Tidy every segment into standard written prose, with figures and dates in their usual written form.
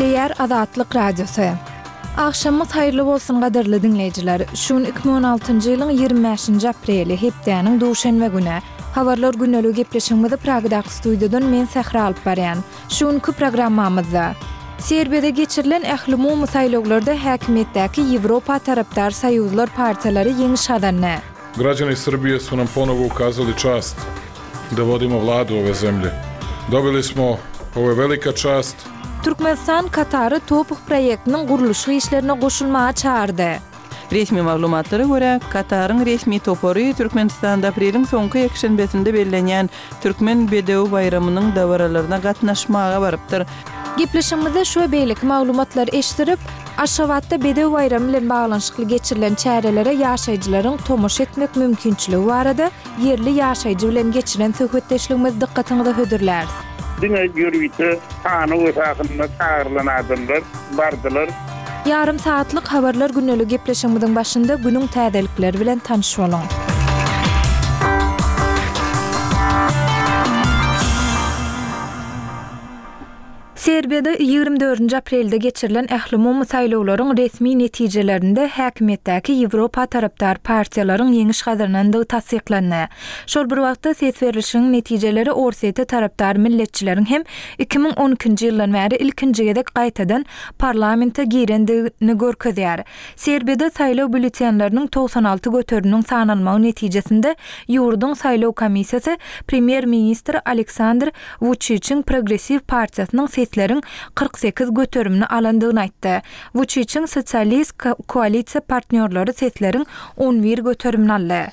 Gepleýär Azatlyk Radiosy. Agşamyňyz haýyrly bolsun gadyrly diňleýjiler. Şu gün 2016-njy ýylyň 25-nji apreli, hepdäniň duşenbe güni. Habarlar gündeligi gepleşigimizi Pragadaky studiýadan men Sähra alyp barýan. Şu günki programmamyzda. Serbiýada geçirilen ählumumy saýlawlarda häkimiýetdäki Ýewropa tarapdar soýuzlar partiýalary ýeňiş gazandy. Građani Srbije su nam ponovo ukazali čast da vodimo vladu ove zemlje. Dobili smo, ovo je velika čast. Türkmenistan Katary TOPH proýektiniň gurluşyk işlerine goşulmaga çagyrdy. Resmi maglumatlara görä, Kataryň resmi topary Türkmenistanda apreliň soňky ýekşenbesinde bellenýän Türkmen bedewi baýramynyň dabaralaryna gatnaşmaga barypdyr. Gepleşigimizde şu we beýleki maglumatlary eşdirip, Aşgabatda Bedew baýramy bilen baglanyşykly geçirilen çärelere ýaşaýjylaryň tomaşa etmek mümkinçiligi barada ýerli ýaşaýjy bilen geçiren söhbetdeşligimizi dykgatyňyza hödürläris. Diňe ýörite sanaw esasynda çagyrylan adamlar bardylar. Ýarym sagatlyk Habarlar gündeligi gepleşigimiziň başynda günüň täzelikleri bilen tanyş boluň. Serbiýada 24-nji aprelde geçirilen ählumumy saýlawlaryň resmi netijelerinde häkimiýetdäki Ýewropa tarapdar partiýalaryň ýeňiş gazanandygy tassyklandy. Şol bir wagtda, ses berlişigiň netijeleri Orsýete tarapdar milletçileriň hem 2012-nji ýyldan bäri ilkinji gezek gaýtadan parlamente girendigini görkezýär. Serbiýada saýlaw býulletenleriniň 96 göteriminiň sanalmagy netijesinde ýurduň saýlaw komissiýasy premýer-ministr Aleksandr Wuçiçiň Progressiw partiýasynyň sesleriň 48 göterimini alandygyny aýtdy. Wuçiçiň sosialist koalisiýa partnýorlary sesleriň 11 göterimini aldy.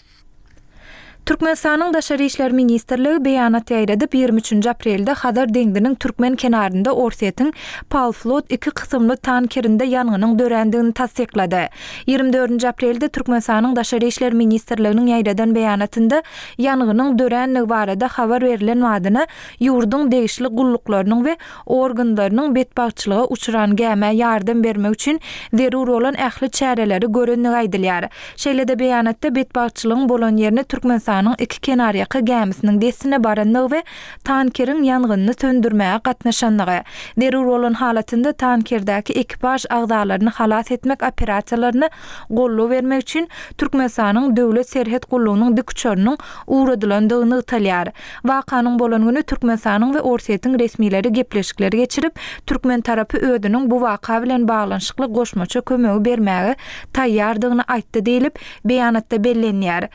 Türkmenistanyň Daşary işler ministrligi beýanat ýaýradyp, 23-nji aprelde Hazar deňziniň türkmen kenarynda Orsýetiň Palflot iki kysymly tankerinde ýangynyň dörändigini tassyklady. 24-nji aprelde Türkmenistanyň Daşary işler ministrliginiň ýaýradan beýanatynda ýangynyň döränligi barada habar berlen badyna ýurduň degişli gulluklarynyň we organlarynyň betbagtçylyga uçran gämä ýardam bermek üçin zerur bolan ähli çäreleri görendigi aýdylýar. Şeýle-de beýanatda betbagtçylygyň bolan ýerine Türkmenistanyň iki kenarýaka gämisiniň dessine barandygy we tankeriň ýangynyny söndürmäge gatnaşandygy, zerur bolan halatynda tankerdäki ekipaž agzalaryny halas etmek operasiýalaryna goldaw bermek üçin Türkmenistanyň Döwlet serhet gullugynyň dikuçarynyň ugradylandygy nygtalýar. Wakanyň bolan güni Türkmenistanyň we Orsýetiň resmileri gepleşikler geçirip, türkmen tarapy özüniň bu waka bilen baglanyşykly goşmaça kömegi bermäge taýýardygyny aýtdy diýlip, beýanatda bellenýär.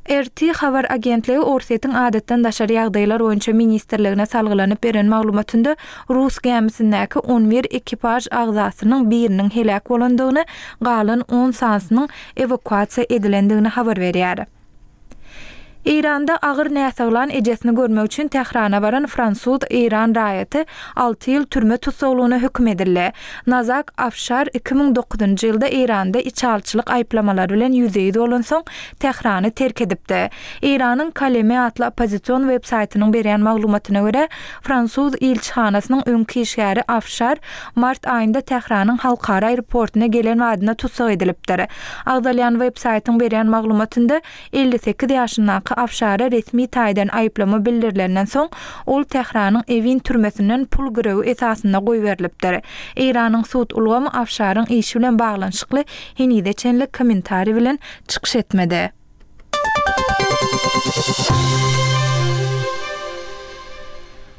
RT habar agentligi Orsýetiň Adatdan daşary ýagdaýlar boýunça ministrligine salgylanyp beren maglumatynda rus gämisindäki on bir ekipaž agzasynyň biriniň heläk bolandygyny, galan on sanysynyň ewakuasiýa edilendigini habar berýär. Eýranda agyr näsaglan ejesini görmek üçin Tährana baran fransuz-eýran raýaty alty ýyl türme tussaglygyna höküm edildi. Nazak Afşar 2009-njy ýylda Eýranda içalyçylyk aýyplamalary bilen ýüzbe-ýüz bolansoň, Tährany terk edipdi. Eýranyň Kaleme atly oppozision web-saýtynyň berýän maglumatyna görä, fransuz ilçihanasynyň öňki işgäri Afşar mart aýynda Tähranyň halkara aeroportuna gelen badyna tussag edilipdir. Agzalýan web-saýtyň berýän maglumatynda 58 ýaşyndaky Afşara resmi taýdan aýyplama bildirilenden soň, ol Tähranyň Ewin türmesinden pul girewi esasynda goýberilipdir. Eýranyň sud ulgamy Afşaryň işi bilen baglanyşykly henize çenli kommentariý bilen çykyş etmedi.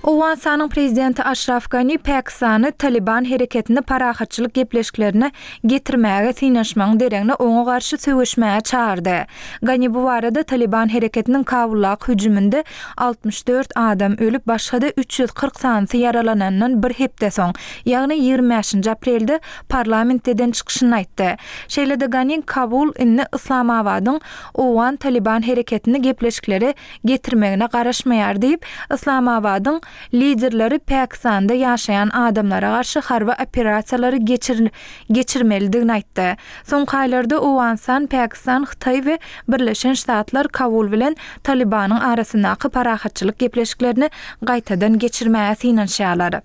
Owganystanyň prezidenti Aşraf Gani Pakistany Talyban hereketini parahatçylyk gepleşiklerine getirmäge synanyşmagyň deregine oňa garşy söweşmäge çagyrdy. Gani bu barada Talyban hereketiniň Kabuldaky hüjüminde 64 adam ölüp, başga-da 340 sanysy ýaralanandan bir hepde soň, ýagny 25-nji aprelde parlamentde eden çykyşynda aýtdy. Şeýle-de Gani Kabul indi Yslamabadyň owgan Talyban hereketini gepleşiklere getirmegine garaşmaýar diýip, Yslamabadyň liderleri Pakistanda ýaşaýan adamlara garşy harby operasiýalary geçirmelidigini aýtdy. Soňky aýlarda Owganystan, Pakistan, Hytaý we Birleşen Ştatlar Kabul bilen Talybanyň arasyndaky parahatçylyk gepleşiklerini gaýtadan geçirmäge synanyşýarlar.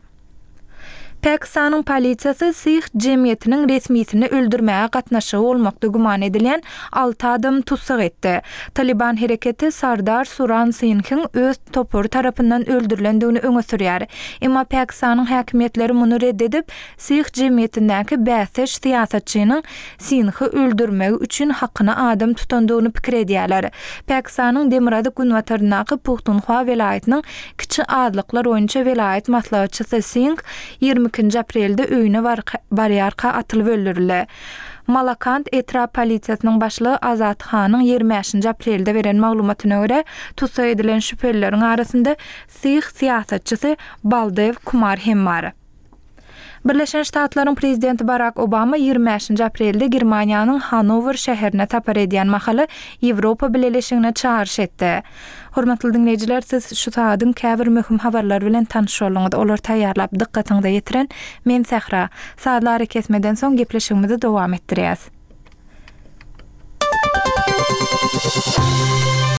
Pakistanyň polisiýasy Sih jemgyýetiniň resmisini öldürmäge gatnaşygy bolmakda güman edilýän alty adamy tussag etdi. Talyban hereketi Sardar Suran Singhiň öz topary tarapyndan öldürilendigini öňe sürýär. Emma Pakistanyň häkimiýetleri muny red edip, Sih jemgyýetindäki bäsdeş syýasatçynyň Singhi öldürmegi üçin hakyna adam tutandygyny pikir edýärler. Pakistanyň demirgazyk-günbataryndaky Puhtunhwa welaýatynyň kiçi azlyklar boýunça welaýat maslahatçysy Singh 22-nji aprelde öýüne barýarka atylyp öldürildi. Malakand etrap polisiýasynyň başlygy Azat Hanyň 25-nji aprelde beren maglumatyna görä, tussag edilen şübhelileriň arasynda sih syýasatçysy Baldew Kumar hem bar. Birleşen Ştatlaryň prezidenti Barak Obama 25-nji aprelde Germaniýanyň Hanower şäherine sapar edýän mahaly Ýewropa Bileleşigine çagyryş etdi. Hormatly diňleýjiler, siz şu sagadyň käbir möhüm habarlary bilen tanyş bolduňyz. Olary taýýarlap, dykgatyňyza ýetiren men Sähra. Sazly arakesmeden soň gepleşigimizi dowam etdirýäs.